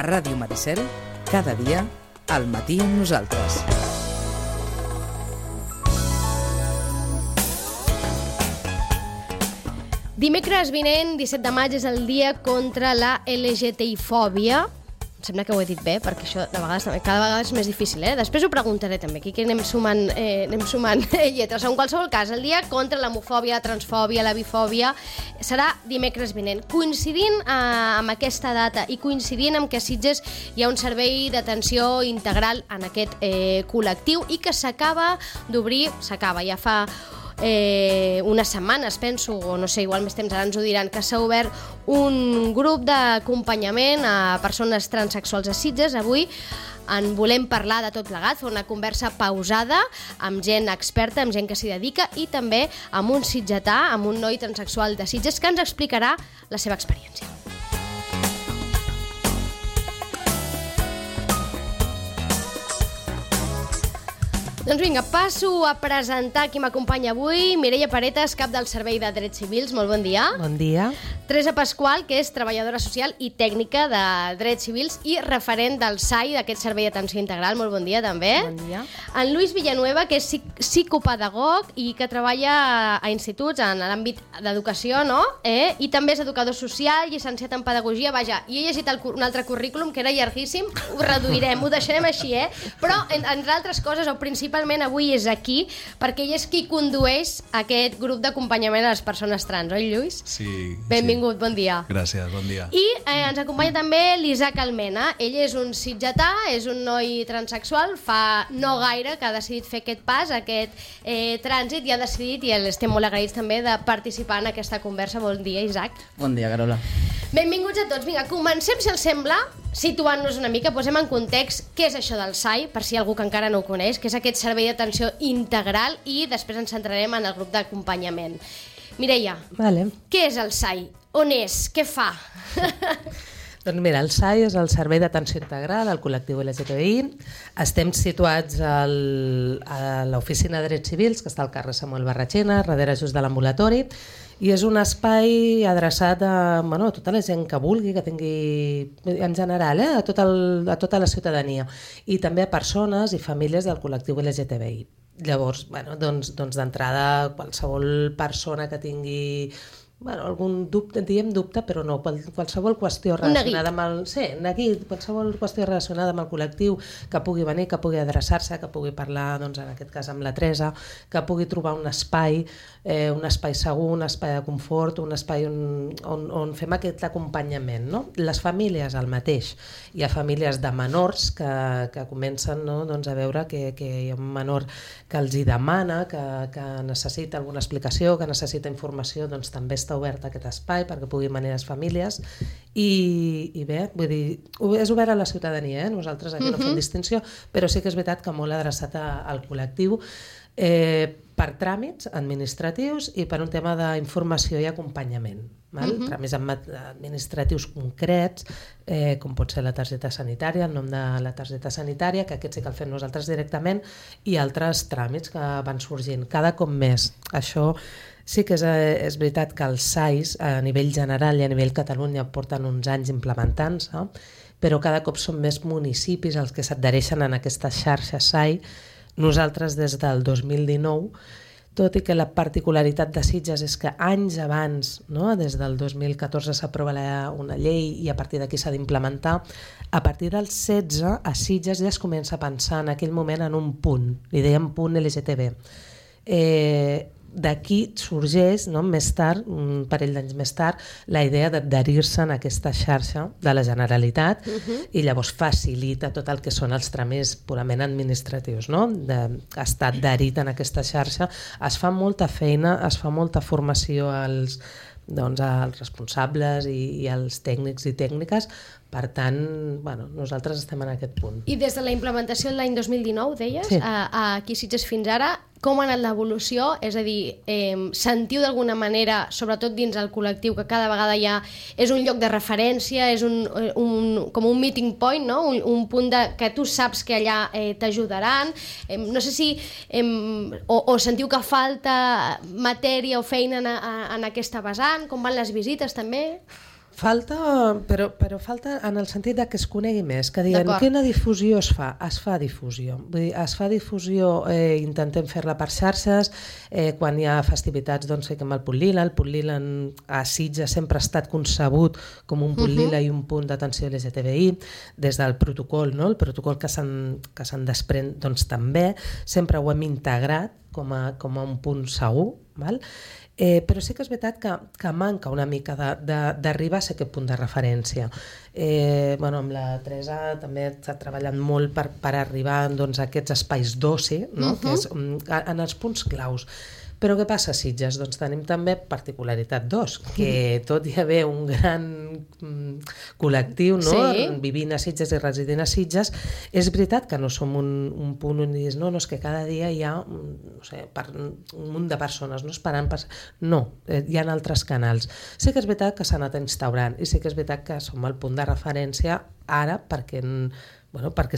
Ràdio Maricel, cada dia, al matí amb nosaltres. Dimecres vinent, 17 de maig, és el dia contra la LGTI-fòbia. Em sembla que ho he dit bé, perquè això de vegades, cada vegada és més difícil, Després ho preguntaré també, aquí que anem sumant lletres. En qualsevol cas, el dia contra l'homofòbia, la transfòbia, la bifòbia, serà dimecres vinent. Coincidint amb aquesta data i coincidint amb que a Sitges hi ha un servei d'atenció integral en aquest col·lectiu i que s'acaba d'obrir, ja fa unes setmanes, penso, o no sé, igual més temps, ara ens ho diran, que s'ha obert un grup d'acompanyament a persones transsexuals a Sitges. Avui en volem parlar de tot plegat, fer una conversa pausada amb gent experta, amb gent que s'hi dedica i també amb un sitgetà, amb un noi transsexual de Sitges que ens explicarà la seva experiència. Doncs vinga, passo a presentar qui m'acompanya avui. Mireia Paretas, cap del Servei de Drets Civils. Molt bon dia. Bon dia. Teresa Pasqual, que és treballadora social i tècnica de Drets Civils i referent del SAI, d'aquest Servei d'Atenció Integral. Molt bon dia, també. Bon dia. En Lluís Villanueva, que és psicopedagog i que treballa a instituts en l'àmbit d'educació, no? I també és educador social, llicenciat en pedagogia. Vaja, i he llegit un altre currículum que era llarguíssim. Ho reduirem, ho deixarem així, Però, entre altres coses, o principalment avui és aquí, perquè ell és qui condueix aquest grup d'acompanyament a les persones trans, oi, Lluís? Sí. Benvingut, bon dia. Gràcies, bon dia. I ens acompanya també l'Isaac Almena. Ell és un sitgetà, és un noi transsexual, fa no gaire que ha decidit fer aquest pas, aquest trànsit, i ha decidit, i estem molt agraïts també, de participar en aquesta conversa. Bon dia, Isaac. Bon dia, Carola. Benvinguts a tots. Vinga, comencem, si els sembla, situant-nos una mica, posem en context què és això del SAI, per si hi ha algú que encara no ho coneix, que és aquest servei d'atenció integral, i després ens centrarem en el grup d'acompanyament. Mireia, què és el SAI? On és? Què fa? Doncs mira, el SAI és el Servei d'Atenció Integral al col·lectiu LGTBI. Estem situats a l'oficina de Drets Civils, que està al carrer Samuel Barratxina, darrere just de l'ambulatori, i és un espai adreçat a tota la gent que vulgui, que tingui, en general, a tota la ciutadania, i també a persones i famílies del col·lectiu LGTBI. Llavors, doncs d'entrada, qualsevol persona que tingui algun dubte, diem dubte, però no, qualsevol qüestió relacionada amb el... Sí, neguit, qualsevol qüestió relacionada amb el col·lectiu, que pugui venir, que pugui adreçar-se, que pugui parlar, doncs en aquest cas amb la Teresa, que pugui trobar un espai segur, un espai de confort, un espai on fem aquest acompanyament, no? Les famílies, el mateix. Hi ha famílies de menors que comencen, no? Doncs a veure que hi ha un menor que els hi demana, que necessita alguna explicació, que necessita informació, doncs també està obert aquest espai perquè puguin venir les famílies i bé, vull dir, és obert a la ciutadania, nosaltres aquí no fem distinció, però sí que és veritat que molt adreçat al col·lectiu per tràmits administratius i per un tema d'informació i acompanyament. Tràmits administratius concrets, com pot ser la targeta sanitària, el nom de la targeta sanitària, que aquest sí que el fem nosaltres directament, i altres tràmits que van sorgint cada cop més. Això sí que és veritat que els SAIs a nivell general i a nivell Catalunya porten uns anys implementant-se, però cada cop són més municipis els que s'adhereixen en aquesta xarxa SAI. Nosaltres des del 2019, tot i que la particularitat de Sitges és que anys abans, no? Des del 2014 s'aprova una llei i a partir d'aquí s'ha d'implementar, a partir del 16 a Sitges ja es comença a pensar en aquell moment en un punt, li dèiem punt LGTB. D'aquí sorgeix, no, més tard, un parell d'anys més tard, la idea d'adherir-se en aquesta xarxa de la Generalitat i llavors facilita tot el que són els tràmits purament administratius, no? D'estar adherit en aquesta xarxa. Es fa molta feina, es fa molta formació als responsables i als tècnics i tècniques. Per tant, nosaltres estem en aquest punt. I des de la implementació de l'any 2019, deies, sí. Aquí Sitges fins ara, com ha anat l'evolució? És a dir, sentiu d'alguna manera, sobretot dins el col·lectiu, que cada vegada ja és un lloc de referència, és com un meeting point, no? Un punt que tu saps que allà t'ajudaran. No sé si o sentiu que falta matèria o feina en aquesta vessant, com van les visites també? Falta, però falta en el sentit de que es conegui més, que diguen quina difusió es fa? Es fa difusió. Vull dir, es fa difusió, intentem fer-la per xarxes, quan hi ha festivitats doncs fiquem el punt lila. El punt lila a Sitges sempre ha estat concebut com un punt lila i un punt d'atenció LGTBI, des del protocol, no? El protocol que se'n desprèn doncs també, sempre ho hem integrat com a un punt segur, val? Però sí que és veritat que manca una mica d'arribar a ser aquest punt de referència. Amb la Teresa també s'ha treballat molt per arribar doncs, a aquests espais d'oci, no? Que és en els punts claus. Però què passa a Sitges? Doncs tenim també particularitat 2, que tot hi haver un gran col·lectiu, no? Vivint a Sitges i residint a Sitges, és veritat que no som un punt on dius, no, és que cada dia hi ha un munt de persones no esperant no, hi ha altres canals. Sí que és veritat que s'ha anat instaurant i sí que és veritat que som el punt de referència ara perquè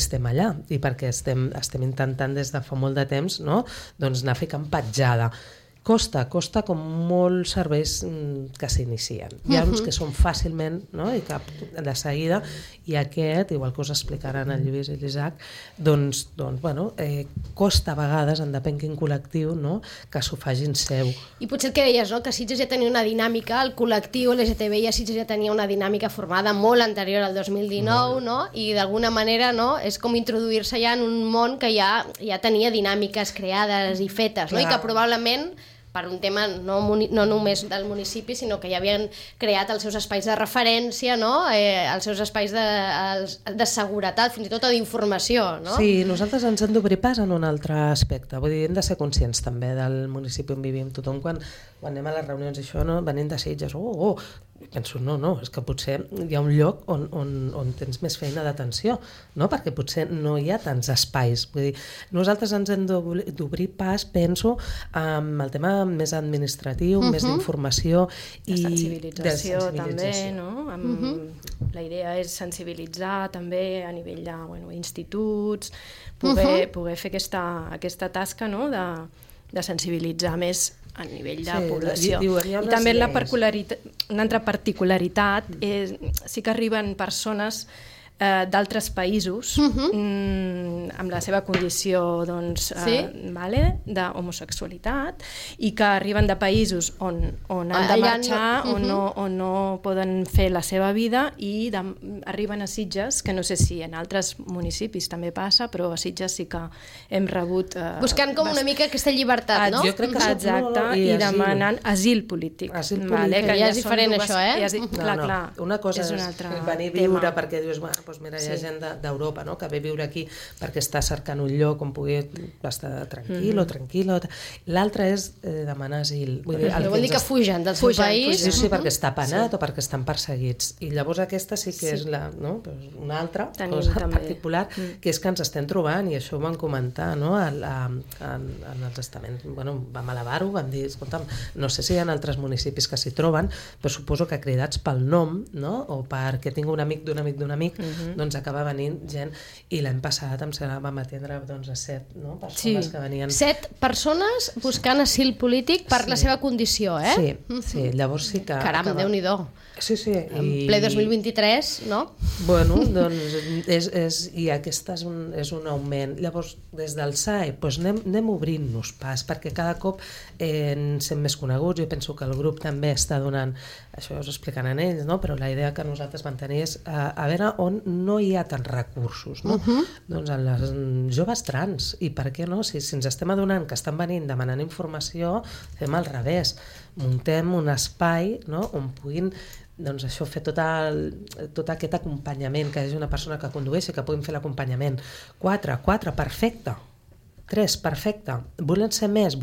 estem allà i perquè estem intentant des de fa molt de temps, no? Doncs anar ficant petjada. Costa com molts serveis que s'inicien. Hi ha uns que són fàcilment, no? I cap de seguida, i aquest, igual que us explicaran el Lluís i l'Isaac, doncs costa a vegades, en depèn quin col·lectiu, no? Que s'ho facin seu. I potser el que deies, no? Que Sitges ja tenia una dinàmica, el col·lectiu LGTBI a Sitges ja tenia una dinàmica formada molt anterior al 2019, no? I d'alguna manera, no? És com introduir-se ja en un món que ja tenia dinàmiques creades i fetes, no? I que probablement per un tema no només del municipi, sinó que ja havien creat els seus espais de referència, no? Els seus espais de seguretat, fins i tot d'informació, no? Sí, nosaltres ens hem d'obrir pas en un altre aspecte. Vull dir, hem de ser conscients també del municipi on vivim. Tothom quan anem a les reunions i això, no? Venint de Sitges, penso, no, és que potser hi ha un lloc on tens més feina d'atenció, no? Perquè potser no hi ha tants espais. Vull dir, nosaltres ens hem d'obrir pas, penso, amb el tema més administratiu, més d'informació i de sensibilització també, no? La idea és sensibilitzar també a nivell d'instituts, poder fer aquesta tasca, no? De sensibilitzar més a nivell de població. I també una altra particularitat és sí que arriben persones d'altres països amb la seva condició d'homosexualitat i que arriben de països on han de marxar o no poden fer la seva vida i arriben a Sitges, que no sé si en altres municipis també passa, però a Sitges sí que hem rebut... Buscant com una mica aquesta llibertat, no? Jo crec que exacte, i demanant asil polític. Que ja és diferent això, Clar, una cosa és venir a viure perquè dius, doncs mira, hi ha gent d'Europa, no? Que ve a viure aquí perquè està cercant un lloc on pugui estar tranquil o tranquil·la. L'altre és demanar asil. Vol dir que fugen del seu país. Sí, perquè està penat o perquè estan perseguits. I llavors aquesta sí que és una altra cosa particular, que és que ens estem trobant, i això ho vam comentar, no? En els estaments. Vam elevar-ho, vam dir, escolta'm, no sé si hi ha altres municipis que s'hi troben, però suposo que cridats pel nom, no? O perquè tinc un amic d'un amic d'un amic, doncs acaba venint gent, i l'any passat vam atendre a 7 persones que venien... 7 persones buscant asil polític per la seva condició, Sí, llavors sí que... Caram, Déu-n'hi-do. Sí. En ple 2023, no? Doncs i aquest és un augment. Llavors, des del SAE, anem obrint-nos pas, perquè cada cop ens hem més coneguts. Jo penso que el grup també està donant, això us explicaran ells, no? Però la idea que nosaltres vam tenir és a veure on no hi ha tants recursos, no? Doncs en les joves trans, i per què no? Si ens estem adonant que estan venint demanant informació, fem al revés, muntem un espai, no? On puguin fer tot aquest acompanyament, que és una persona que condueixi, que puguin fer l'acompanyament. 4, perfecte. 3, perfecte. Volem ser més,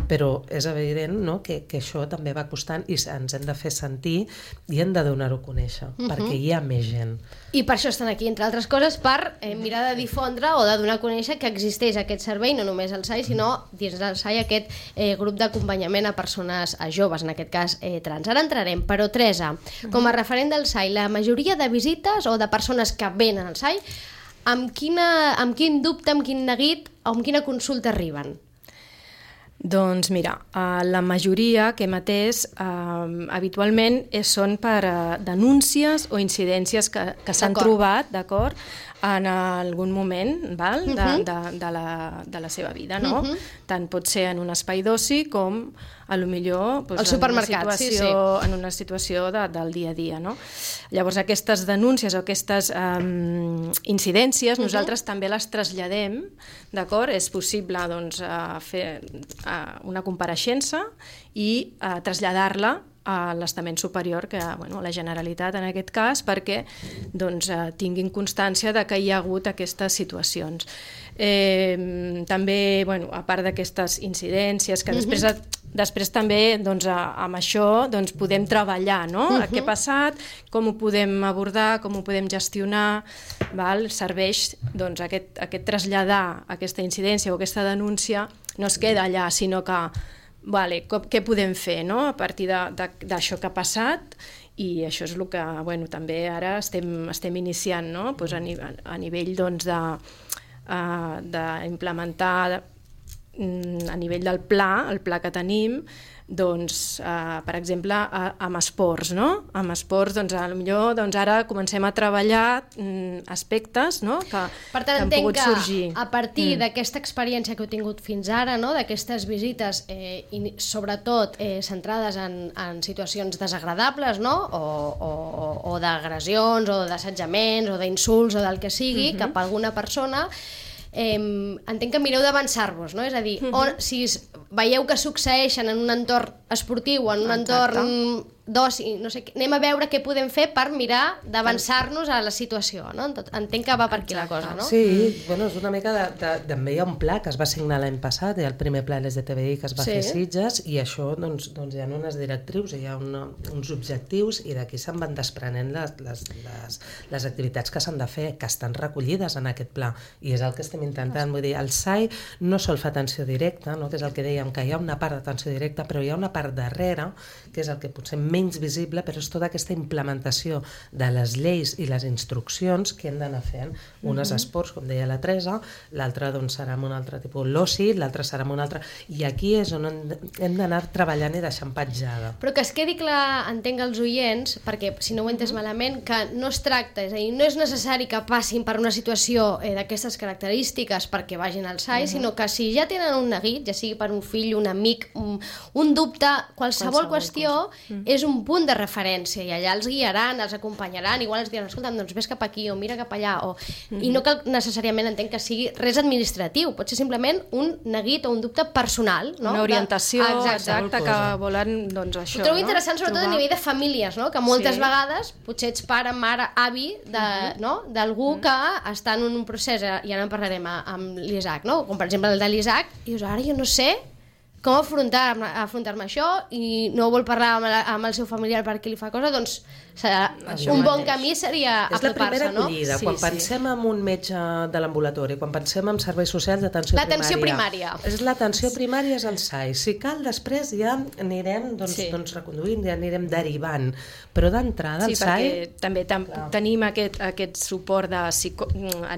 però és evident, no? que això també va costant i ens hem de fer sentir i hem de donar-ho a conèixer, perquè hi ha més gent. I per això estan aquí, entre altres coses, per mirar de difondre o de donar a conèixer que existeix aquest servei, no només el SAI, sinó dins del SAI aquest grup d'acompanyament a persones, a joves, en aquest cas trans. Ara entrarem, però Teresa, com a referent del SAI, la majoria de visites o de persones que venen al SAI, amb quin dubte, amb quin neguit o amb quina consulta arriben? Doncs mira, la majoria que hem atès habitualment són per denúncies o incidències que s'han trobat, d'acord, en algun moment de la seva vida, no? Tant pot ser en un espai d'oci com potser al supermercat, en una situació del dia a dia, no? Llavors aquestes denúncies o aquestes incidències nosaltres també les traslladem, d'acord? És possible doncs fer una compareixença i traslladar-la a l'estament superior, a la Generalitat en aquest cas, perquè tinguin constància de que hi ha hagut aquestes situacions. També, a part d'aquestes incidències, que després també amb això podem treballar, no? Què ha passat, com ho podem abordar, com ho podem gestionar, serveix aquest traslladar aquesta incidència o aquesta denúncia, no es queda allà, sinó que què podem fer a partir d'això que ha passat, i això és el que també ara estem iniciant a nivell d'implementar a nivell del pla, el pla que tenim, per exemple, amb esports, no? Amb esports, potser ara comencem a treballar aspectes que han pogut sorgir. Per tant, entenc que a partir d'aquesta experiència que heu tingut fins ara, d'aquestes visites, sobretot centrades en situacions desagradables, o d'agressions, o d'assetjaments, o d'insults, o del que sigui, cap a alguna persona, entenc que mireu d'avançar-vos, no? És a dir, si veieu que succeeixen en un entorn esportiu o en un entorn d'oci, no sé què, anem a veure què podem fer per mirar d'avançar-nos a la situació, no? Entenc que va per aquí la cosa, no? Sí, és una mica també hi ha un pla que es va signar l'any passat, hi ha el primer pla LGTBI que es va fer a Sitges, i això hi ha unes directrius, hi ha uns objectius, i d'aquí se'n van desprenent les activitats que s'han de fer, que estan recollides en aquest pla, i és el que estem intentant. Vull dir, el SAI no sol fer atenció directa, que és el que dèiem, que hi ha una part d'atenció directa, però hi ha una part darrere, que és el que potser menys visible, però és tota aquesta implementació de les lleis i les instruccions que hem d'anar fent. Unes esports, com deia la Teresa, l'altra serà amb un altre tipus l'oci, l'altra serà amb un altre... I aquí és on hem d'anar treballant i deixant petjada. Però que es quedi clar, entenc els oients, perquè si no ho he entès malament, que no es tracta, és a dir, no és necessari que passin per una situació d'aquestes característiques perquè vagin al SAI, sinó que si ja tenen un neguit, ja sigui per un fill, un amic, un dubte, qualsevol qüestió, és un punt de referència, i allà els guiaran, els acompanyaran, igual els diran, escolta'm, doncs ves cap aquí o mira cap allà, i no cal necessàriament, entenc, que sigui res administratiu, pot ser simplement un neguit o un dubte personal, no? Una orientació, exacte, que volen, això. Ho trobo interessant, sobretot a nivell de famílies, no? Que moltes vegades potser ets pare, mare, avi d'algú que està en un procés, i ara en parlarem amb l'Isaac, no? Com per exemple el de l'Isaac, i dius, ara jo no sé com afrontar-me això, i no vol parlar amb el seu familiar perquè li fa cosa, doncs un bon camí seria apropar-se, no? És la primera acollida. Quan pensem en un metge de l'ambulatori, quan pensem en serveis socials d'atenció primària. L'atenció primària. L'atenció primària és el SAI. Si cal, després ja anirem reconduint, ja anirem derivant. Però d'entrada el SAI... Sí, perquè també tenim aquest suport a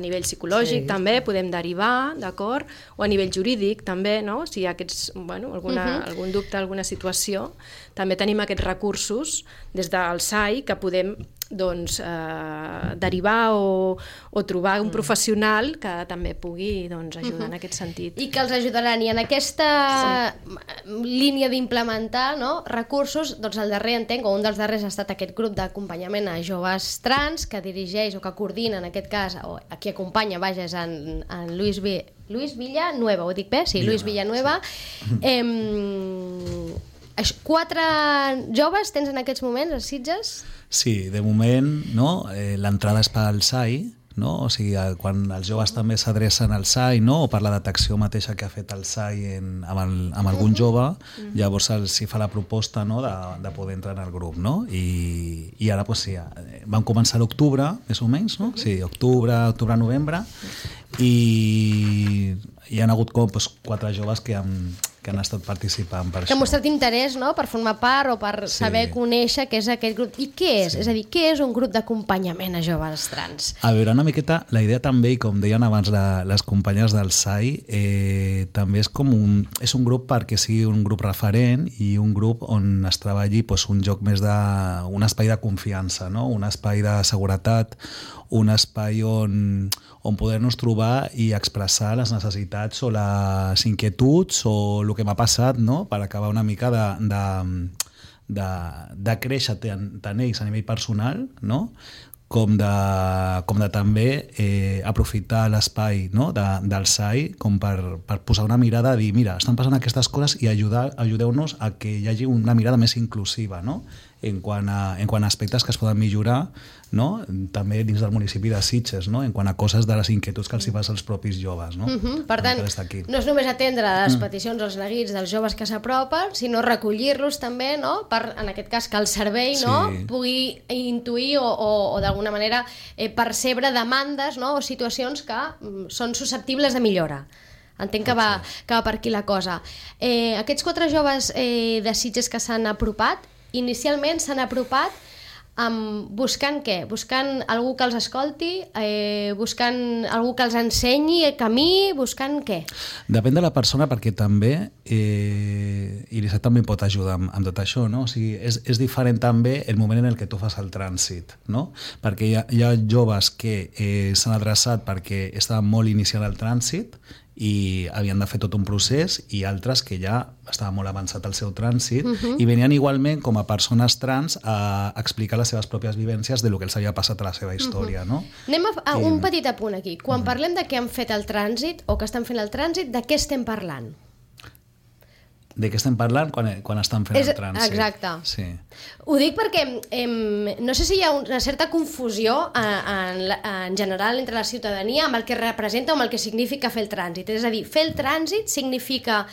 nivell psicològic, també podem derivar, d'acord? O a nivell jurídic, també, no? Si hi ha algun dubte, alguna situació, també tenim aquests recursos des del SAI que podem derivar o trobar un professional que també pugui ajudar en aquest sentit. I que els ajudaran. I en aquesta línia d'implementar recursos, doncs el darrer, entenc, o un dels darrers ha estat aquest grup d'acompanyament a joves trans que dirigeix o que coordina, en aquest cas, o a qui acompanya, vaja, és en Luis Villanueva, ho dic bé? Sí, Luis Villanueva. 4 joves tens en aquests moments a Sitges? Sí, de moment l'entrada és pel SAI, o sigui, quan els joves també s'adrecen al SAI, o per la detecció mateixa que ha fet el SAI amb algun jove, llavors s'hi fa la proposta de poder entrar en el grup. I ara vam començar a l'octubre, més o menys, sí, octubre-novembre, i hi ha hagut 4 joves que que han estat participant per que ha això. mostrat interès, no?, per formar part o per saber conèixer què és aquest grup. I què és? És a dir, què és un grup d'acompanyament a joves trans? A veure, una miqueta, la idea també, i com deien abans les companyes del SAI, també és com és un grup perquè sigui un grup referent i un grup on es treballi un joc més un espai de confiança, no? Un espai de seguretat, un espai on poder-nos trobar i expressar les necessitats o les inquietuds o el que m'ha passat, no?, per acabar una mica de créixer tant ells a nivell personal, no?, com de també aprofitar l'espai, no?, del SAI com per posar una mirada, dir, mira, estan passant aquestes coses i ajudeu-nos a que hi hagi una mirada més inclusiva, no?, en quant a aspectes que es poden millorar, no?, també dins del municipi de Sitges, no?, en quant a coses de les inquietuds que els hi passa als propis joves, no? Per tant, no és només atendre les peticions, els neguits dels joves que s'apropen, sinó recollir-los també, no?, per, en aquest cas, que el servei, no?, pugui intuir o d'alguna manera percebre demandes, no?, o situacions que són susceptibles de millora. Entenc que va per aquí la cosa. Aquests 4 joves de Sitges que s'han apropat, inicialment s'han apropat buscant què? Buscant algú que els escolti, buscant algú que els ensenyi el camí, buscant què? Depèn de la persona, perquè també i l'Isaac també pot ajudar amb tot això, no? O sigui, és diferent també el moment en el que tu fas el trànsit, no? Perquè hi ha joves que s'han adreçat perquè estaven molt iniciant el trànsit i havien de fer tot un procés, i altres que ja estava molt avançat el seu trànsit i venien igualment com a persones trans a explicar les seves pròpies vivències de lo que els havia passat a la seva història, no? Anem a un petit apunt aquí. Quan parlem de que han fet el trànsit o que estan fent el trànsit, de què estem parlant? De què estem parlant quan estan fent el trànsit. Exacte. Sí. Ho dic perquè no sé si hi ha una certa confusió en general entre la ciutadania amb el que representa o amb el que significa fer el trànsit. És a dir, fer el trànsit significa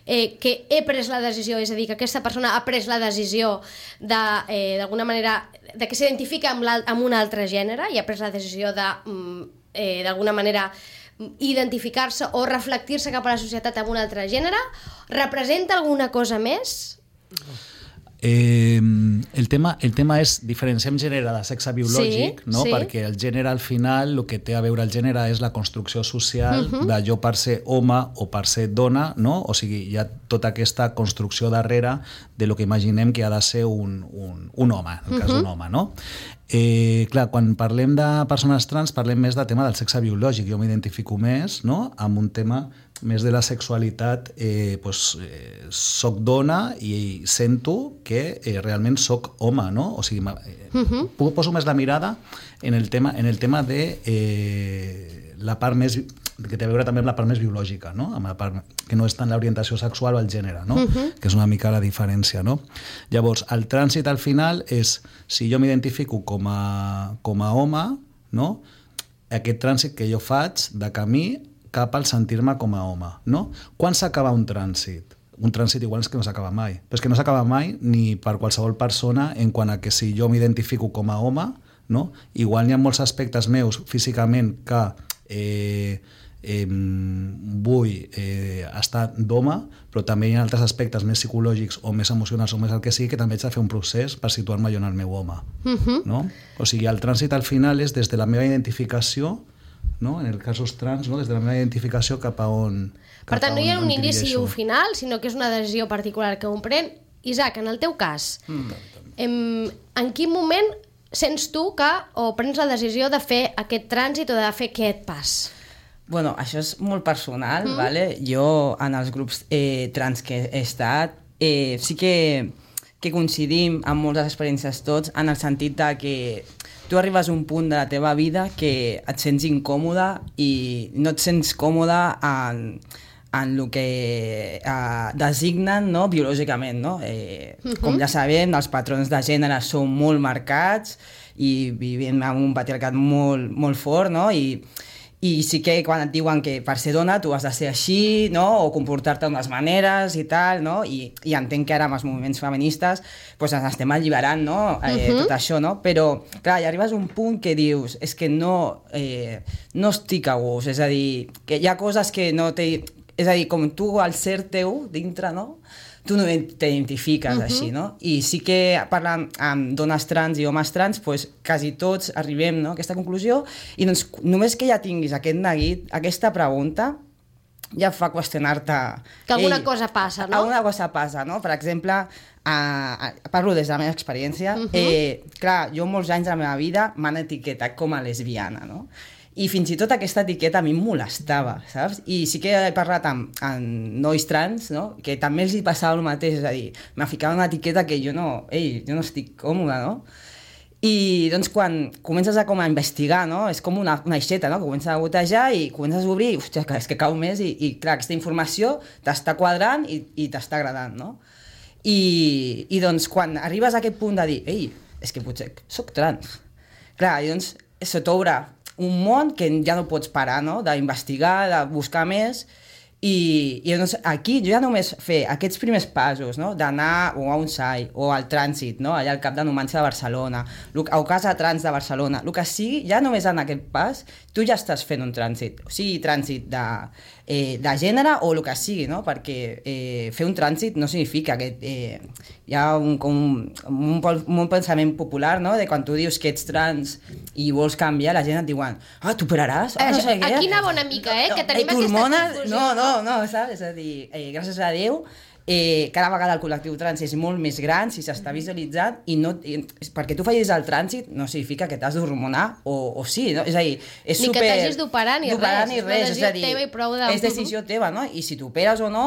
que he pres la decisió, és a dir, que aquesta persona ha pres la decisió d'alguna manera de que s'identifica amb un altre gènere i ha pres la decisió d'alguna manera identificar-se o reflectir-se cap a la societat amb un altre gènere. Representa alguna cosa més? El tema és diferenciem gènere de sexe biològic, no? Perquè el gènere al final, el que té a veure el gènere és la construcció social de jo per ser home o per ser dona, no? O sigui, hi ha tota aquesta construcció darrere de lo que imaginem que ha de ser un home, en el cas d'un home, no? Clar, quan parlem de persones trans parlem més del tema del sexe biològic. Jo m'identifico més, no?, amb un tema més de la sexualitat. Soc dona i sento que realment soc home, no? O sigui, poso més la mirada en el tema de la part més que té a veure també amb la part més biològica, no? Amb la part que no és tant l'orientació sexual o el gènere, no? Que és una mica la diferència, no? Llavors, el trànsit al final és, si jo m'identifico com a home, no?, aquest trànsit que jo faig de camí cap al sentir-me com a home, no? Quan s'acaba un trànsit? Un trànsit igual és que no s'acaba mai, però és que no s'acaba mai ni per qualsevol persona, en quant a que si jo m'identifico com a home, no?, igual hi ha molts aspectes meus físicament que vull estar d'home, però també hi ha altres aspectes més psicològics o més emocionals o més el que sigui que també haig de fer un procés per situar-me jo en el meu home, no? O sigui, el trànsit al final és des de la meva identificació, no?, en els casos trans, no?, des de la meva identificació cap a on... Per tant, no hi ha un inici i un final, sinó que és una decisió particular que un pren. Isaac, en el teu cas, en quin moment sents tu que o prens la decisió de fer aquest trànsit o de fer aquest pas? Bueno, això és molt personal, ¿vale? Jo, en els grups trans que he estat, sí que coincidim amb moltes experiències tots, en el sentit de que tu arribes a un punt de la teva vida que et sents incòmode i no et sents còmode en el que designen, no?, biològicament, no? Com ja sabem, els patrons de gènere són molt marcats i vivim en un patriarcat molt, molt fort, no? I sí que quan et diuen que per ser dona tu has de ser així, no?, o comportar-te d'unes maneres i tal, no?, i entenc que ara amb els moviments feministes pues, ens estem alliberant, no?, tot això, no?, però clar, hi arribes a un punt que dius és que no estic a gust, és a dir, que hi ha coses que no té... és a dir, com tu, al ser teu, dintre, no? Tu no t'identifiques així, no? I sí que parlant amb dones trans i homes trans, pues, quasi tots arribem, no, a aquesta conclusió, i doncs només que ja tinguis aquest neguit, aquesta pregunta, ja fa qüestionar-te... Que alguna cosa passa, no? Alguna cosa passa, no? Per exemple, parlo des de la meva experiència, clar, jo molts anys de la meva vida m'han etiquetat com a lesbiana, no? I fins i tot aquesta etiqueta a mi em molestava, saps? I sí que he parlat amb nois trans, no? Que també els hi passava el mateix, és a dir, m'ha ficat una etiqueta que jo no estic còmoda, no? I doncs quan comences a investigar, no? És com una aixeta, no? Que comences a gotejar i comences a obrir, hòstia, és que cau més i clar, aquesta informació t'està quadrant i t'està agradant, no? I doncs quan arribes a aquest punt de dir, és que potser soc trans, clar, i doncs se t'obre un món que ja no pots parar, no? D'investigar, de buscar més, i doncs aquí jo ja només fer aquests primers passos, no? D'anar o a un SAI o al trànsit, no? Allà al Cap de Numància de Barcelona, o Casa Trans de Barcelona, el que sigui, ja només en aquest pas tu ja estàs fent un trànsit, o sigui, trànsit de gènere o el que sigui, no? Perquè fer un trànsit no significa que hi ha un pensament popular, no? De quan tu dius que ets trans i vols canviar, la gent et diuen t'operaràs? No sé què. Aquí anava una mica, que tenim aquesta confusió. No, saps? És a dir, gràcies a Déu, cada vegada el col·lectiu trans és molt més gran, si s'està visualitzant, perquè tu facis el trànsit no significa que t'has d'hormonar, o sí, no? És a dir, és ni que t'hagis d'operar ni res, és a dir, és decisió teva, no? I si t'operes o no,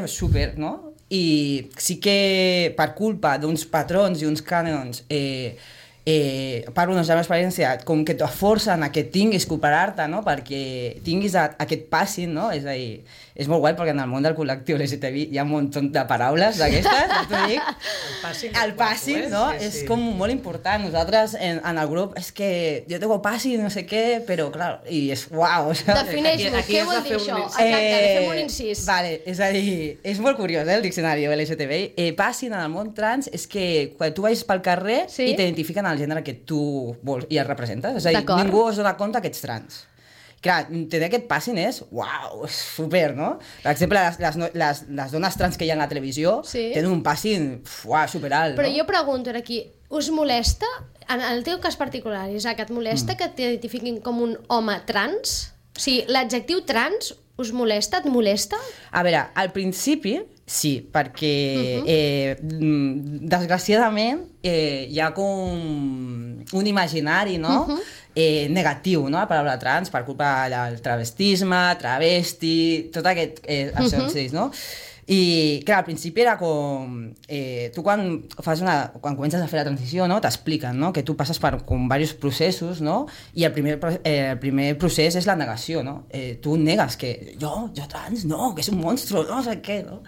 super, no? I sí que per culpa d'uns patrons i uns cànons parlo de la meva experiència, com que te forcen a que tinguis que operar-te, no? Perquè tinguis aquest passing, no? És a dir, és molt guai perquè en el món del col·lectiu LGTBI hi ha un munt de paraules d'aquestes, t'ho dic. El passing, no? Sí, és com molt important. Nosaltres en el grup és que jo tengo passing, no sé què, però clar, i és uau. Defineix-ho, què vol dir això? Exacte, fem un incís. Vale, és a dir, és molt curiós, el diccionari LGTBI. Passing en el món trans és que quan tu vagis pel carrer i t'identifiquen el gènere que tu vols i el representes. És a dir, ningú es dona compte que ets trans. Clar, tenir aquest passing és, uau, és super, no? Per exemple, les dones trans que hi ha a la televisió tenen un passing, uau, superalt. Però jo pregunto aquí, us molesta, en el teu cas particular, Isaac, et molesta que t'identifiquin com un home trans? O sigui, l'adjectiu trans us molesta, et molesta? A veure, al principi sí, perquè desgraciadament hi ha com un imaginari, no? Negatiu, no? La paraula trans per culpa del travestisme, travesti, tot aquest ascensis, no? I clar, al principi era com tu quan comences a fer la transició, no? T'expliquen, no? Que tu passes per diversos processos, no? I el primer procés és la negació, no? Tu negues que jo trans, no, que és un monstru, no sé què, no?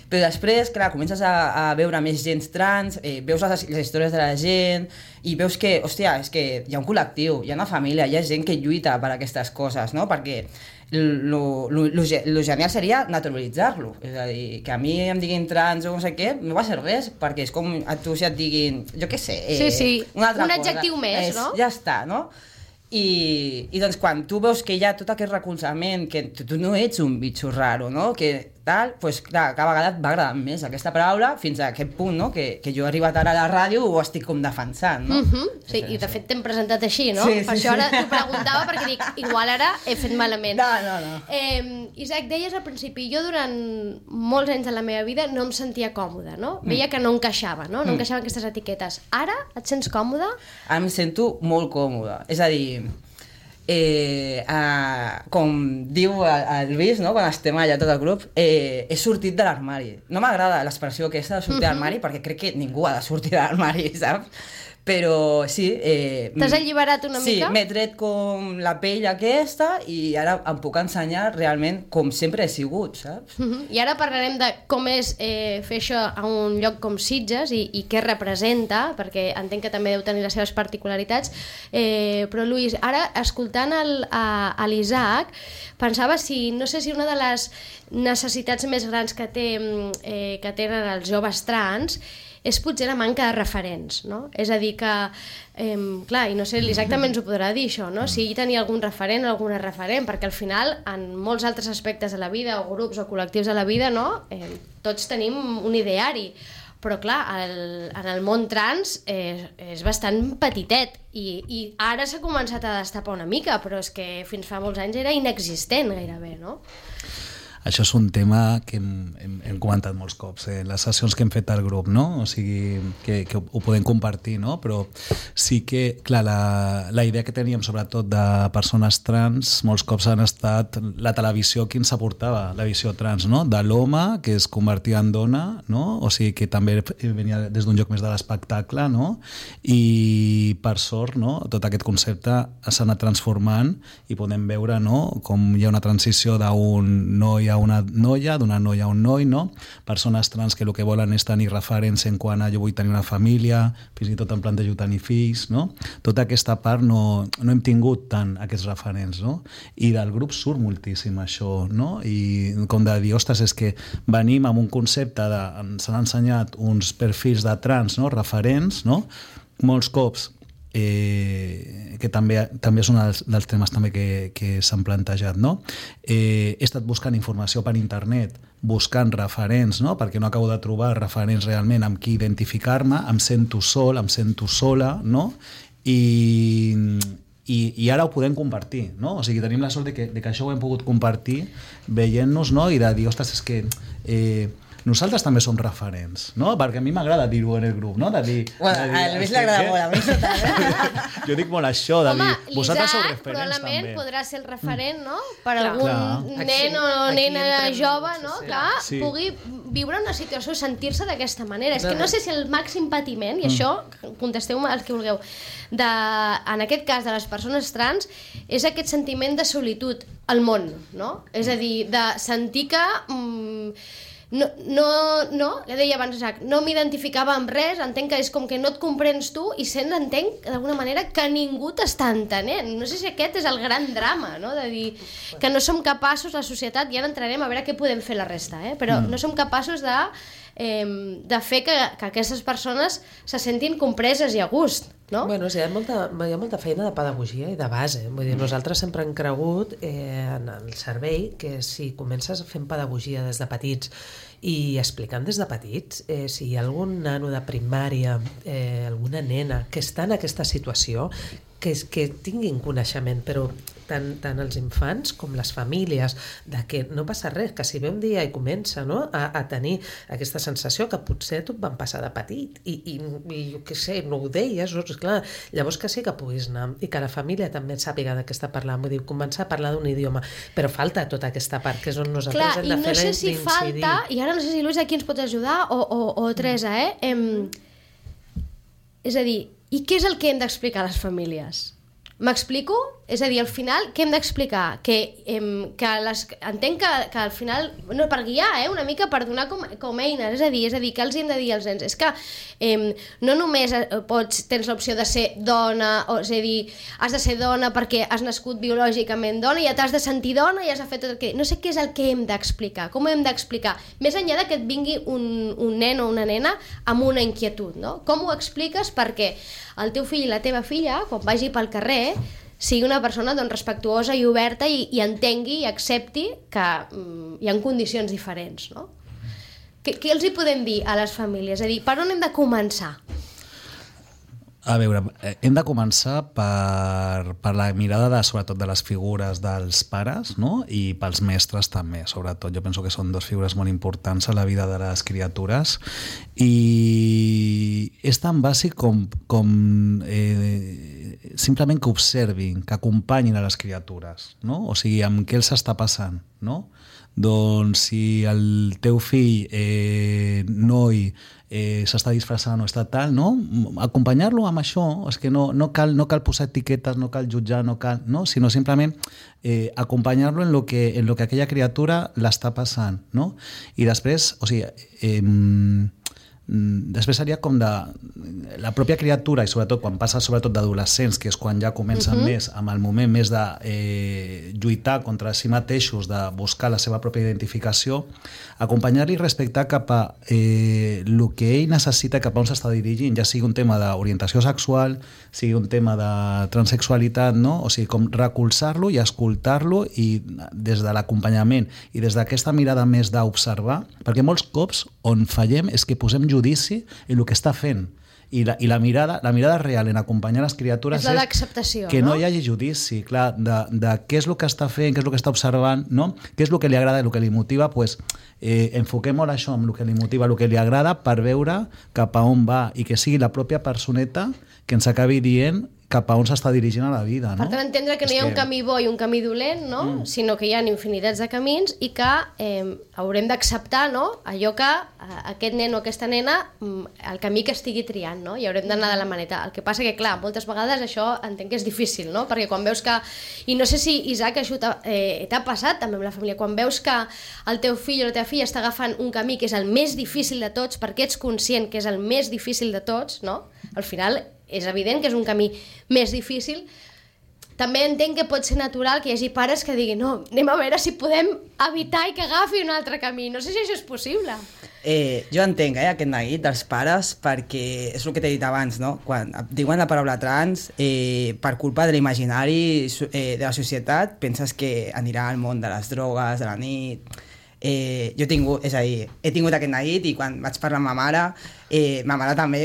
Però després, clar, comences a veure més gent trans, veus les històries de la gent i veus que, hòstia, és que hi ha un col·lectiu, hi ha una família, hi ha gent que lluita per aquestes coses, no? Perquè lo genial seria naturalitzar-lo. És a dir, que a mi em diguin trans o no sé què, no va ser res, perquè és com a tu si et diguin, jo què sé, una altra cosa. Un adjectiu més, no? Ja està, no? I doncs quan tu veus que hi ha tot aquest recolzament, que tu no ets un bitxo raro, no? Que tal, doncs clar, cada vegada et va agradar més aquesta paraula fins a aquest punt, no? Que jo he arribat ara a la ràdio i ho estic com defensant, no? Sí, i de fet t'hem presentat així, no? Per això ara t'ho preguntava, perquè dic, igual ara he fet malament. No. Isaac, deies al principi, jo durant molts anys de la meva vida no em sentia còmoda, no? Veia que no encaixava, no? No encaixaven aquestes etiquetes. Ara et sents còmoda? Ara em sento molt còmoda. És a dir, com diu el Lluís, no? Quan estem allà tot el grup, he sortit de l'armari. No m'agrada l'expressió aquesta de sortir de l'armari perquè crec que ningú ha de sortir de l'armari, saps? Però sí... T'has alliberat una mica? Sí, m'he tret com la pell aquesta i ara em puc ensenyar realment com sempre he sigut, saps? I ara parlarem de com és fer això a un lloc com Sitges i què representa, perquè entenc que també deu tenir les seves particularitats. Però, Lluís, ara, escoltant a l'Isaac, pensava no sé si una de les necessitats més grans que tenen els joves trans és potser la manca de referents, no? És a dir, mica... clar, i no sé, exactament ens ho podrà dir això, no? Si tenia algun referent o alguna referent, perquè al final en molts altres aspectes de la vida o grups o col·lectius de la vida, no? Tots tenim un ideari, però clar, en el món trans és bastant petitet i ara s'ha començat a destapar una mica, però és que fins fa molts anys era inexistent gairebé, no? Això és un tema que hem comentat molts cops en les sessions que hem fet al grup, no? O sigui, que ho podem compartir, no? Però sí que, clar, la idea que teníem sobretot de persones trans molts cops han estat la televisió que ens aportava, la visió trans, no? De l'home que es convertia en dona, no? O sigui, que també venia des d'un lloc més de l'espectacle, no? I per sort, no? Tot aquest concepte s'ha anat transformant i podem veure, no? Com hi ha una transició d'un noi a una noia, d'una noia a un noi, no? Persones trans que el que volen és tenir referents en quant a jo vull tenir una família, fins i tot em plantejo tenir fills, no? Tota aquesta part no hem tingut tant aquests referents, no? I del grup surt moltíssim això, no? I com de dir, ostres, és que venim amb un concepte de... ens han ensenyat uns perfils de trans, no? Referents, no? Molts cops que també és un dels temes també que s'han plantejat, no? He estat buscant informació per internet, buscant referents, no? Perquè no acabo de trobar referents realment amb qui identificar-me, em sento sol, em sento sola, no? I ara ho podem compartir, no? O sigui, tenim la sort de que això ho hem pogut compartir veient-nos, no? I de dir, ostres, és que nosaltres també som referents, no? Perquè a mi m'agrada dir-ho en el grup, no? De dir, bueno, a Luis li agrada molt, a mi no tant. Jo dic molt això, de dir, vosaltres sou referents probablement també. Podrà ser el referent, no? Per algun nen o nena jove, no? Clar, pugui viure una situació, sentir-se d'aquesta manera. És que no sé si el màxim patiment, i això, contesteu-me el que vulgueu, en aquest cas de les persones trans, és aquest sentiment de solitud al món, no? És a dir, de sentir que... ja deia abans, no m'identificava amb res, entenc que és com que no et comprens tu i entenc d'alguna manera que ningú t'està entenent. No sé si aquest és el gran drama, no? De dir que no som capaços, la societat, i ara entrarem a veure què podem fer la resta, però no som capaços de fer que aquestes persones se sentin compreses i a gust, no? Bueno, sí, hi ha molta feina de pedagogia i de base. Vull dir, nosaltres sempre hem cregut en el servei que si comences fent pedagogia des de petits i explicant des de petits, si hi ha algun nano de primària, alguna nena que està en aquesta situació, que tinguin coneixement, però tant els infants com les famílies, de que no passa res, que si ve un dia i comença, no, a tenir aquesta sensació que potser tu et van passar de petit i jo què sé, no ho deies, clar, llavors que sí que puguis anar i que la família també sàpiga de què està parlant, vull dir, començar a parlar d'un idioma, però falta tota aquesta part que és on nosaltres hem de fer d'incidir. Clar, i no sé si falta, i ara no sé si Luis aquí ens pot ajudar o Teresa, és a dir, i què és el que hem d'explicar a les famílies? M'explico? És a dir, al final, què hem d'explicar? Entenc que al final, no, per guiar, una mica per donar com eines, és a dir, que els hem de dir als nens? És que no només tens l'opció de ser dona, és a dir, has de ser dona perquè has nascut biològicament dona i ja t'has de sentir dona i has de fer tot el que... No sé què és el que hem d'explicar, com ho hem d'explicar, més enllà de que et vingui un nen o una nena amb una inquietud, no? Com ho expliques perquè el teu fill i la teva filla, quan vagi pel carrer, sigui una persona respectuosa i oberta i entengui i accepti que hi ha condicions diferents, no? Què els hi podem dir a les famílies? És a dir, per on hem de començar? A veure, hem de començar per la mirada sobretot de les figures dels pares, no? I pels mestres també, sobretot. Jo penso que són dues figures molt importants a la vida de les criatures i és tan bàsic com simplement que observin, que acompanyin a les criatures, no? O sigui, amb què els està passant, no? Doncs si el teu fill, noi, s'està disfressant o està tal, no? Acompanyar-lo amb això, és que no cal posar etiquetes, no cal jutjar, no? Sinó simplement acompanyar-lo en lo que aquella criatura l'està passant, no? I després, o sigui, després seria com de la pròpia criatura, i sobretot quan passa sobretot d'adolescents, que és quan ja comencen més amb el moment més de lluitar contra si mateixos, de buscar la seva pròpia identificació, acompanyar-li i respectar cap a el que ell necessita, cap a on s'està dirigint, ja sigui un tema d'orientació sexual, sigui un tema de transsexualitat, no? O sigui, com recolzar-lo i escoltar-lo, i des de l'acompanyament i des d'aquesta mirada més d'observar, perquè molts cops on fallem és que posem judici en el que està fent, i la mirada real en acompanyar les criatures és la d'acceptació, que no hi hagi judici, clar, de què és el que està fent, què és el que està observant, no? Què és el que li agrada, el que li motiva, pues, enfoquem molt això amb el que li motiva, el que li agrada, per veure cap a on va, i que sigui la pròpia personeta que ens acabi dient cap a on s'està dirigint a la vida, no? Per tant, entendre que no hi ha un camí bo i un camí dolent, no? Sinó que hi ha infinitats de camins i que haurem d'acceptar, no? Allò que aquest nen o aquesta nena, el camí que estigui triant, no? I haurem d'anar de la maneta. El que passa que, clar, moltes vegades això entenc que és difícil, no? Perquè quan veus que... I no sé si, Isaac, això t'ha passat també amb la família. Quan veus que el teu fill o la teva filla està agafant un camí que és el més difícil de tots, perquè ets conscient que és el més difícil de tots, no? Al final és evident que és un camí més difícil. També entenc que pot ser natural que hi hagi pares que diguin no, anem a veure si podem evitar i que agafi un altre camí. No sé si això és possible. Jo entenc aquest neguit dels pares, perquè és el que t'he dit abans, no? Quan diuen la paraula trans, per culpa de l'imaginari de la societat, penses que anirà al món de les drogues, de la nit... he tingut aquest neguit, i quan vaig parlar amb ma mare també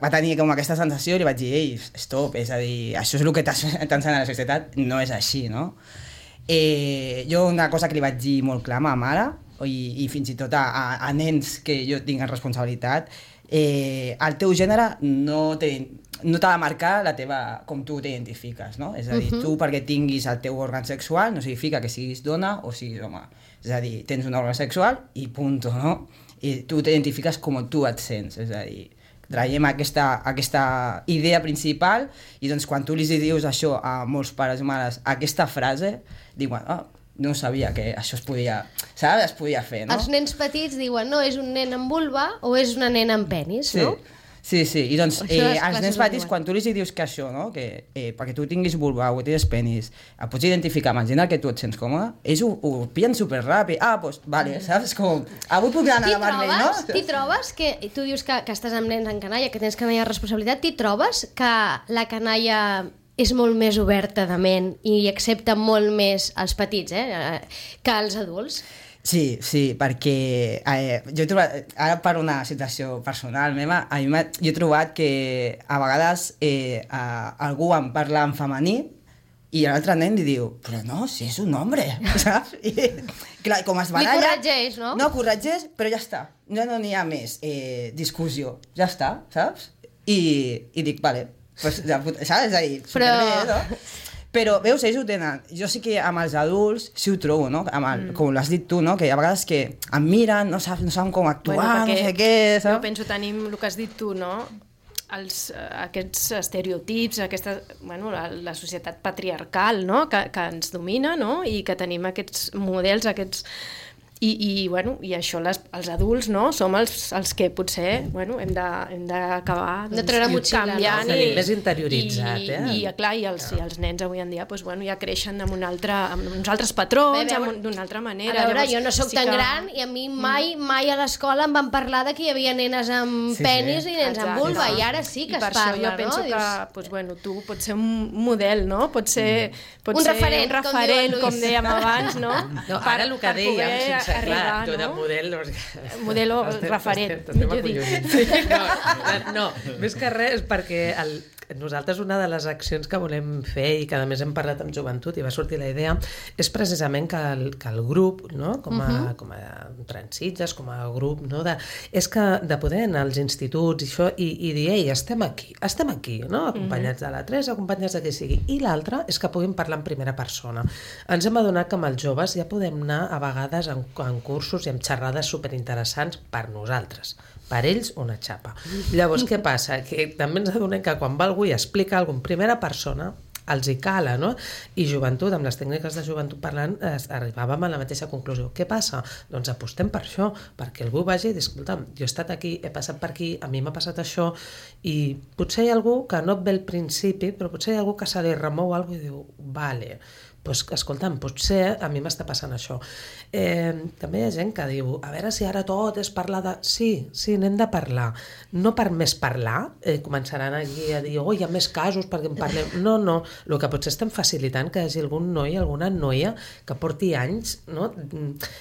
va tenir com aquesta sensació, i li vaig dir, ei, stop, és a dir, això és el que t'ensenya la societat, no és així, no? Jo una cosa que li vaig dir molt clar a ma mare, i fins i tot a nens que jo tinc en responsabilitat, el teu gènere no t'ha de marcar com tu t'identifiques, no? És a dir, tu perquè tinguis el teu òrgan sexual no significa que siguis dona o siguis home. És a dir, tens un òrgan sexual i punto, no? I tu t'identifiques com tu et sents, és a dir, traiem aquesta idea principal, i doncs quan tu li dius això a molts pares i mares, aquesta frase, diuen, no sabia que això es podia fer, no? Els nens petits diuen, no, és un nen amb vulva o és una nena amb penis, no? Sí, i doncs els nens petits, quan tu li dius que això, no? Que perquè tu tinguis vulva o tens penis, et pots identificar amb el gènere que tu et sents còmode, ells ho pillen superràpid. Doncs, vale, saps? Com, avui puc anar a vermell, no? T'hi trobes que, tu dius que estàs amb nens en canalla, que tens canalla de responsabilitat, t'hi trobes que la canalla és molt més oberta de ment i accepta molt més els petits, que els adults? Sí, perquè jo he trobat, ara per una situació personal meva, jo he trobat que a vegades algú em parla en femení i l'altre nen li diu, però no, si és un home, saps? I, clar, com es baralla... Li corregeix, no? No, corregeix, però ja està. No n'hi ha més discussió. Ja està, saps? I dic, vale, pues, saps? És a dir, superbé, no? Però, veus, ells ho tenen. Jo sí que amb els adults sí ho trobo, no? Com l'has dit tu, no? Que a vegades que em miren, no saben com actuar, no sé què, saps? Jo penso, tenim el que has dit tu, no? Aquests estereotips, la societat patriarcal, no? Que ens domina, no? I que tenim aquests models, I això els adults, no? Som els que potser hem d'acabar canviant, no? Més interioritzat, i clar, i els nens avui en dia ja creixen amb uns altres patrons, d'una altra manera. A veure, jo no soc tan gran i a mi mai a l'escola em van parlar que hi havia nenes amb penis i nens amb vulva, i ara sí que es parla, no? I per això jo penso que tu pots ser un model, no? Pots ser un referent, com dèiem abans, no? Ara el que dèiem, arribar, no? De model... Modelo referent, millor dir. No, més que res, perquè nosaltres una de les accions que volem fer i que a més hem parlat amb joventut i va sortir la idea és precisament que el grup, no? com a Transitges, com a grup, no? És que de poder anar als instituts i dir, ei, estem aquí, no? Acompanyats de la Teresa, acompanyats de qui sigui, i l'altre és que puguin parlar en primera persona. Ens hem adonat que amb els joves ja podem anar a vegades en cursos i amb xerrades superinteressants per nosaltres, per ells una xapa. Llavors, què passa? Que també ens adonem que quan va algú i explica alguna cosa en primera persona, els hi cala, no? I joventut, amb les tècniques de joventut parlant, arribàvem a la mateixa conclusió. Què passa? Doncs apostem per això, perquè algú vagi i dir, escolta'm, jo he estat aquí, he passat per aquí, a mi m'ha passat això, i potser hi ha algú que no et ve al principi, però potser hi ha algú que se li remou alguna cosa i diu, vale, doncs, escolta'm, potser a mi m'està passant això. També hi ha gent que diu, a veure si ara tot és parlar de... Sí, n'hem de parlar. No per més parlar, començaran aquí a dir, hi ha més casos perquè en parlem. No, el que potser estem facilitant que hi hagi algun noi, alguna noia que porti anys, no?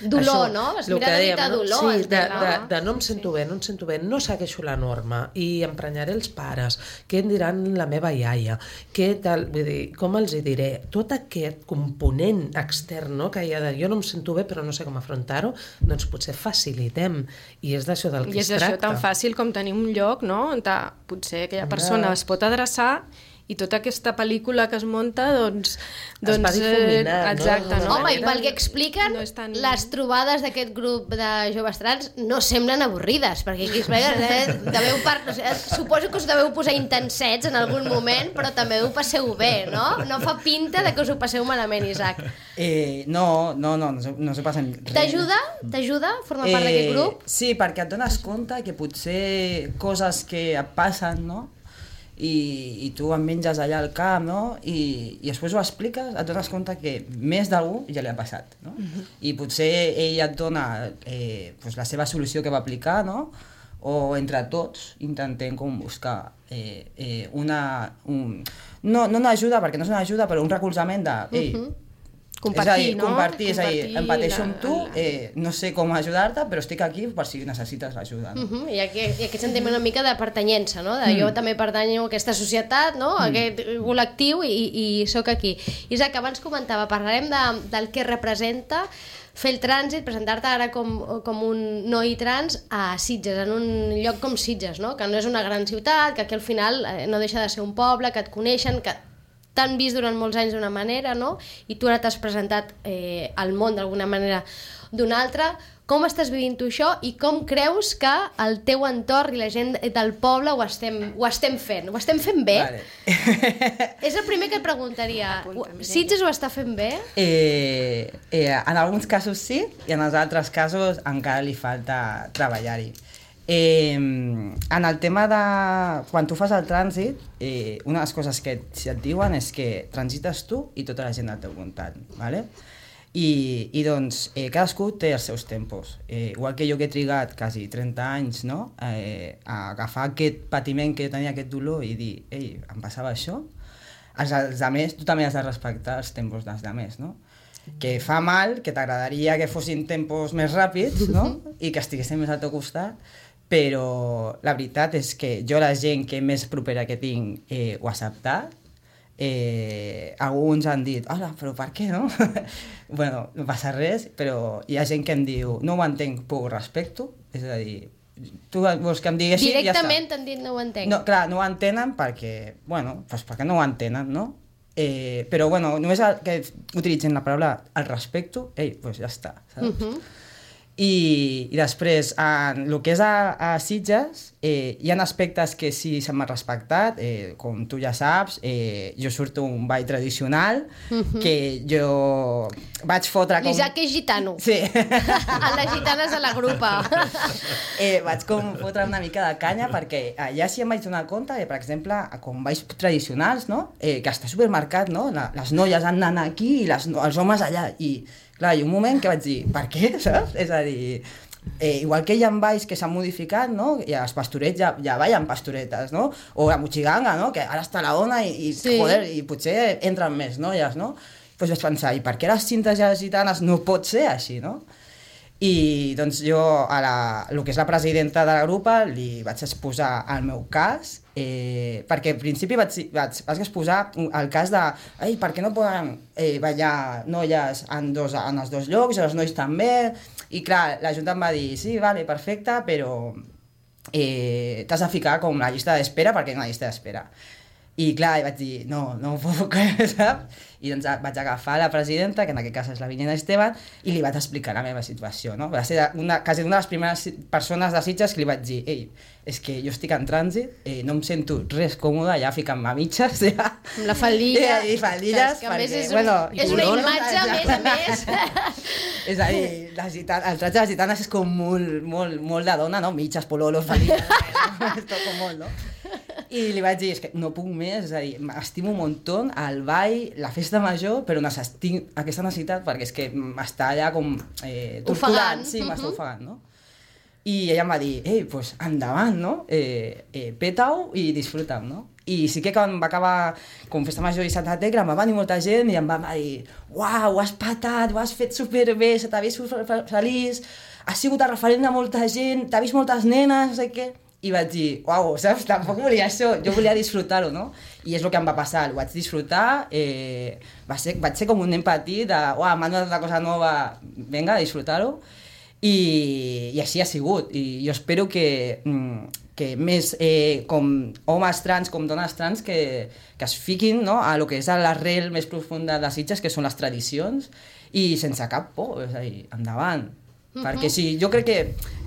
Dolor, no? Es mira de dir dolor. Sí, de no em sento bé, no segueixo la norma i emprenyaré els pares, què em diran la meva iaia, què tal, vull dir, com els hi diré? Tot aquest component extern, no? Que hi ha de jo no em sento bé però no sé com afrontar-ho, doncs potser facilitem, i és d'això del que es tracta. I és això tan fàcil com tenir un lloc, no?, on potser aquella persona es pot adreçar i tota aquesta pel·lícula que es munta, doncs es va difuminar, exacte, no? Home, i pel que expliquen, les trobades d'aquest grup de joves trans no semblen avorrides, perquè aquí suposo que us deveu posar intensets en algun moment, però també ho passeu bé, no? No fa pinta de que us ho passeu malament, Isaac. No s'ho passen res. T'ajuda a formar part d'aquest grup? Sí, perquè et dones compte que potser coses que et passen, no?, i tu em menges allà al camp, no? I després ho expliques, et dones compte que més d'algú ja li ha passat, no? I potser ell et dona la seva solució que va aplicar, no? O entre tots intentem com buscar no una ajuda, perquè no és una ajuda, però un recolzament de compartir, compartir, és a dir, empateixo amb tu, no sé com ajudar-te, però estic aquí per si necessites ajuda. No? I aquí sentim una mica de pertanyença, no? De jo també pertanyo a aquesta societat, no? A aquest col·lectiu i sóc aquí. Isaac, abans comentava, parlarem del que representa fer el trànsit, presentar-te ara com un noi trans a Sitges, en un lloc com Sitges, no? Que no és una gran ciutat, que aquí al final no deixa de ser un poble, que et coneixen, que t'han vist durant molts anys d'una manera, no? I tu ara t'has presentat al món d'alguna manera d'una altra. Com estàs vivint tu això i com creus que el teu entorn i la gent del poble ho estem fent? Ho estem fent bé? Vale. És el primer que et preguntaria. Sitges ho està fent bé? En alguns casos sí, i en els altres casos encara li falta treballar-hi. En el tema de quan tu fas el trànsit, una de les coses que et diuen és que transites tu i tota la gent al teu voltant, ¿vale? I doncs cadascú té els seus tempos, igual que jo que he trigat quasi 30 anys, no? A agafar aquest patiment que jo tenia, aquest dolor, i dir, ei, em passava això, els altres, tu també has de respectar els tempos dels altres, no? Que fa mal, que t'agradaria que fossin tempos més ràpids, no? I que estiguessin més al teu costat, però la veritat és que jo la gent que més propera que tinc ho ha acceptat. Alguns han dit, hola, però per què, no? Bueno, no passa res, però hi ha gent que em diu, no ho entenc, però ho respecto, és a dir, tu vols que em diguessin i ja està. Directament t'han dit no ho entenc. No, clar, no ho entenen perquè, bueno, doncs perquè no ho entenen, no? Però, bueno, només que utilitzen la paraula el respecto, doncs ja està, saps? I després, en el que és a Sitges, hi ha aspectes que sí se m'ha respectat, com tu ja saps, jo surto un ball tradicional, que jo vaig fotre com... L'Isaac és gitano. Sí. A les gitanes de la grupa. Vaig com fotre una mica de canya, perquè allà sí em vaig donar compte, per exemple, com balls tradicionals, no? Que està supermarcat, no? Les noies han d'anar aquí i els homes allà, i clar, hi ha un moment que vaig dir, per què, saps? És a dir, igual que hi ha balls que s'han modificat, no? I els pastorets ja ballen pastoretes, no? O la mochiganga, no? Que ara està la dona i sí. Joder, i potser entren més noies, no? Doncs vaig pensar, i per què les cintes i les gitanes no pot ser així, no? I doncs jo el que és la presidenta de la grupa li vaig exposar el meu cas, perquè al principi vaig exposar el cas de per què no poden ballar noies en els dos llocs i els nois també, i clar, la Junta em va dir sí, vale, perfecte, però t'has de ficar com la llista d'espera perquè hi ha una llista d'espera. I clar, vaig dir, no ho puc, saps? I doncs vaig agafar la presidenta, que en aquest cas és la Vinyena Esteban, i li vaig explicar la meva situació, no? Va ser quasi una de les primeres persones de Sitges que li vaig dir, ei, és que jo estic en trànsit, no em sento res còmode, ja ficant-me a mitges, ja. Amb la faldilla. I faldilles, que a més és una imatge, a més. És a dir, el tratge de les gitanes és com molt de dona, no? Mitges, pololos, faldilles, és tot com molt, no? I li vaig dir, és que no puc més, és a dir, m'estimo un muntó, el ball, la festa major, però tinc aquesta necessitat perquè és que m'està allà com torturant, sí, m'està ofegant, no? I ella em va dir, doncs endavant, no? Peta-ho i disfruta'm, no? I sí que quan va acabar com festa major i Santa Tecla em va venir molta gent i em va dir, uau, ho has patat, ho has fet superbé, se t'ha vist feliç, has sigut el referent de molta gent, t'ha vist moltes nenes, no sé què. I vaig dir, uau, saps, tampoc volia això, jo volia disfrutar-ho, no? I és el que em va passar, ho vaig disfrutar, vaig ser com un nen petit de, uau, m'han donat una cosa nova, vinga, a disfrutar-ho, i així ha sigut, i jo espero que més com homes trans, com dones trans, que es fiquin, no?, a lo que és l'arrel més profunda de Sitges, que són les tradicions, i sense cap por, és a dir, endavant. Perquè sí, jo crec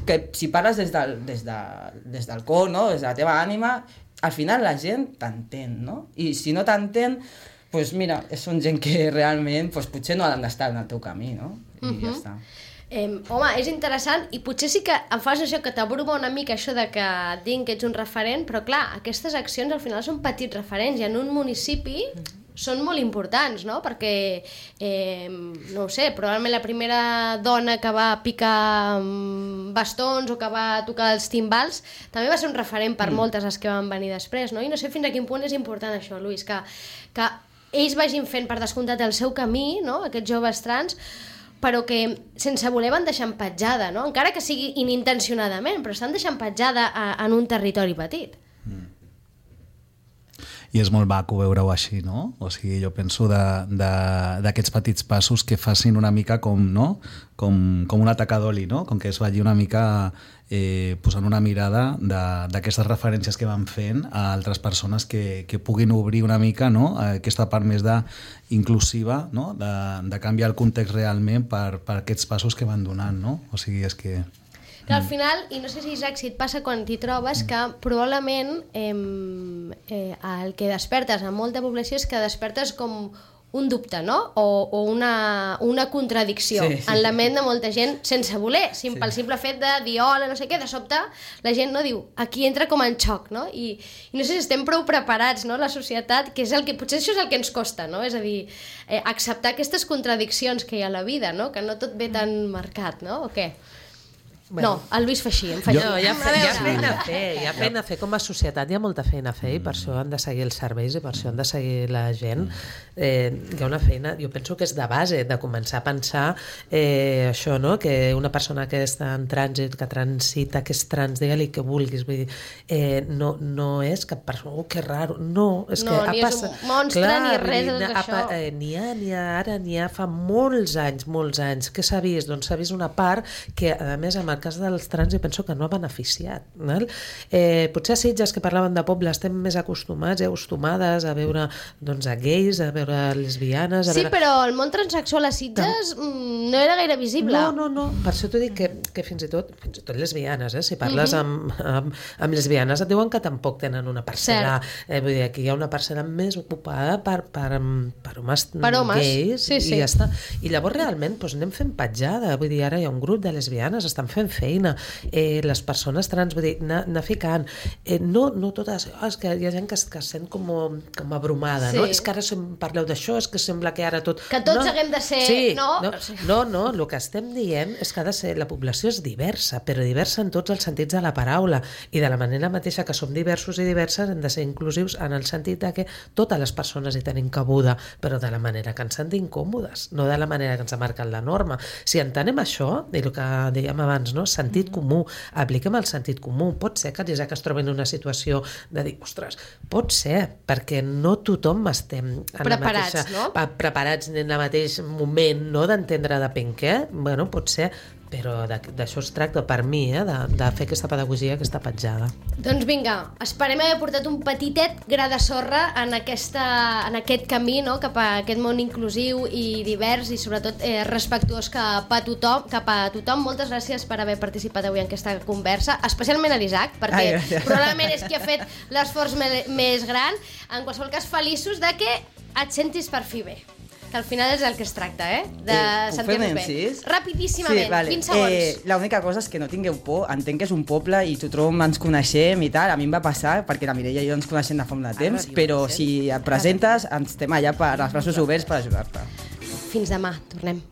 que si parles des del cor, no? Des de la teva ànima, al final la gent t'entén, no? I si no t'entén, doncs mira, són gent que realment potser no han d'estar en el teu camí, no? I ja està. Home, és interessant i potser sí que em fas això que t'abruma una mica això de que et diguin que ets un referent, però clar, aquestes accions al final són petits referents i en un municipi són molt importants, no? Perquè, no ho sé, probablement la primera dona que va picar bastons o que va tocar els timbals també va ser un referent per moltes les que van venir després, no? I no sé fins a quin punt és important això, Lluís, que ells vagin fent per descomptat el seu camí, no? Aquests joves trans, però que sense voler van deixant petjada, no? Encara que sigui inintencionadament, però estan deixant petjada en un territori petit. I és molt maco veure-ho així, no? O sigui, jo penso d'aquests petits passos que facin una mica com, no? Com un atac d'oli, no? Com que es vagi una mica posant una mirada d'aquestes referències que van fent a altres persones que puguin obrir una mica, no? Aquesta part més inclusiva, no? De canviar el context realment per aquests passos que van donant, no? O sigui, és que... Que al final, i no sé si Isaac, si et passa quan t'hi trobes, que probablement el que despertes en molta població és que despertes com un dubte, no? O una contradicció en la ment de molta gent sense voler, pel simple fet de dir hola, no sé què, de sobte la gent no diu, aquí entra com en xoc, no? I no sé si estem prou preparats, no?, la societat, que és el que potser això és el que ens costa, no? És a dir, acceptar aquestes contradiccions que hi ha a la vida, no? Que no tot ve tan marcat, no? O què? Bueno, el Lluís fa així, em fa no, hi ha feina a fer com a societat, hi ha molta feina a fer i per això han de seguir els serveis i per això han de seguir la gent. Hi ha una feina, jo penso que és de base, de començar a pensar això, no? Que una persona que està en trànsit, que transita, que és trans, digue-li que vulguis, vull dir, no és cap persona, que raro, no, és que ha passat... No, ni és un monstre, clar, ni res de tot això. N'hi ha fa molts anys, que s'ha vist? Doncs s'ha vist una part que, a més, amb el cas dels trans, jo penso que no ha beneficiat. Potser a Sitges, que parlaven de poble, estem més acostumats i acostumades a veure a gais, a veure lesbianes... Sí, però el món transexual a Sitges no era gaire visible. No. Per això t'ho dic que fins i tot lesbianes, si parles amb lesbianes et diuen que tampoc tenen una parcel·la. Vull dir, aquí hi ha una parcel·la més ocupada per homes gais i ja està. I llavors realment anem fent petjada. Vull dir, ara hi ha un grup de lesbianes, estan fent feina, les persones trans, vull dir, anar ficant, no totes, és que hi ha gent que es sent com abrumada, no? És que ara parleu d'això, és que sembla que ara tot... Que tots haguem de ser, no, el que estem dient és que ha de ser, la població és diversa, però diversa en tots els sentits de la paraula, i de la manera mateixa que som diversos i diverses hem de ser inclusius en el sentit de que totes les persones hi tenim cabuda, però de la manera que ens sentim còmodes, no de la manera que ens ha marcat la norma. Si entenem això, i el que dèiem abans, no? Sentit comú, apliquem el sentit comú. Pot ser que l'Isaac es trobi en una situació de dir, ostres, pot ser, perquè no tothom estem preparats en el mateix moment, no?, d'entendre depèn què. Bueno, pot ser, però d'això es tracta per mi, de fer aquesta pedagogia, aquesta petjada. Doncs vinga, esperem haver portat un petitet gra de sorra en aquest camí, no? Cap a aquest món inclusiu i divers i sobretot respectuós cap a tothom. Moltes gràcies per haver participat avui en aquesta conversa, especialment a l'Isaac, perquè probablement és qui ha fet l'esforç més gran. En qualsevol cas, feliços de que et sentis per fi bé, que al final és el que es tracta, de sentir-nos bé. Rapidíssimament, 20 segons. L'única cosa és que no tingueu por, entenc que és un poble i tothom ens coneixem i tal, a mi em va passar, perquè la Mireia i jo ens coneixem de fa molt de temps, però si et presentes, estem allà per els braços oberts per ajudar-te. Fins demà, tornem.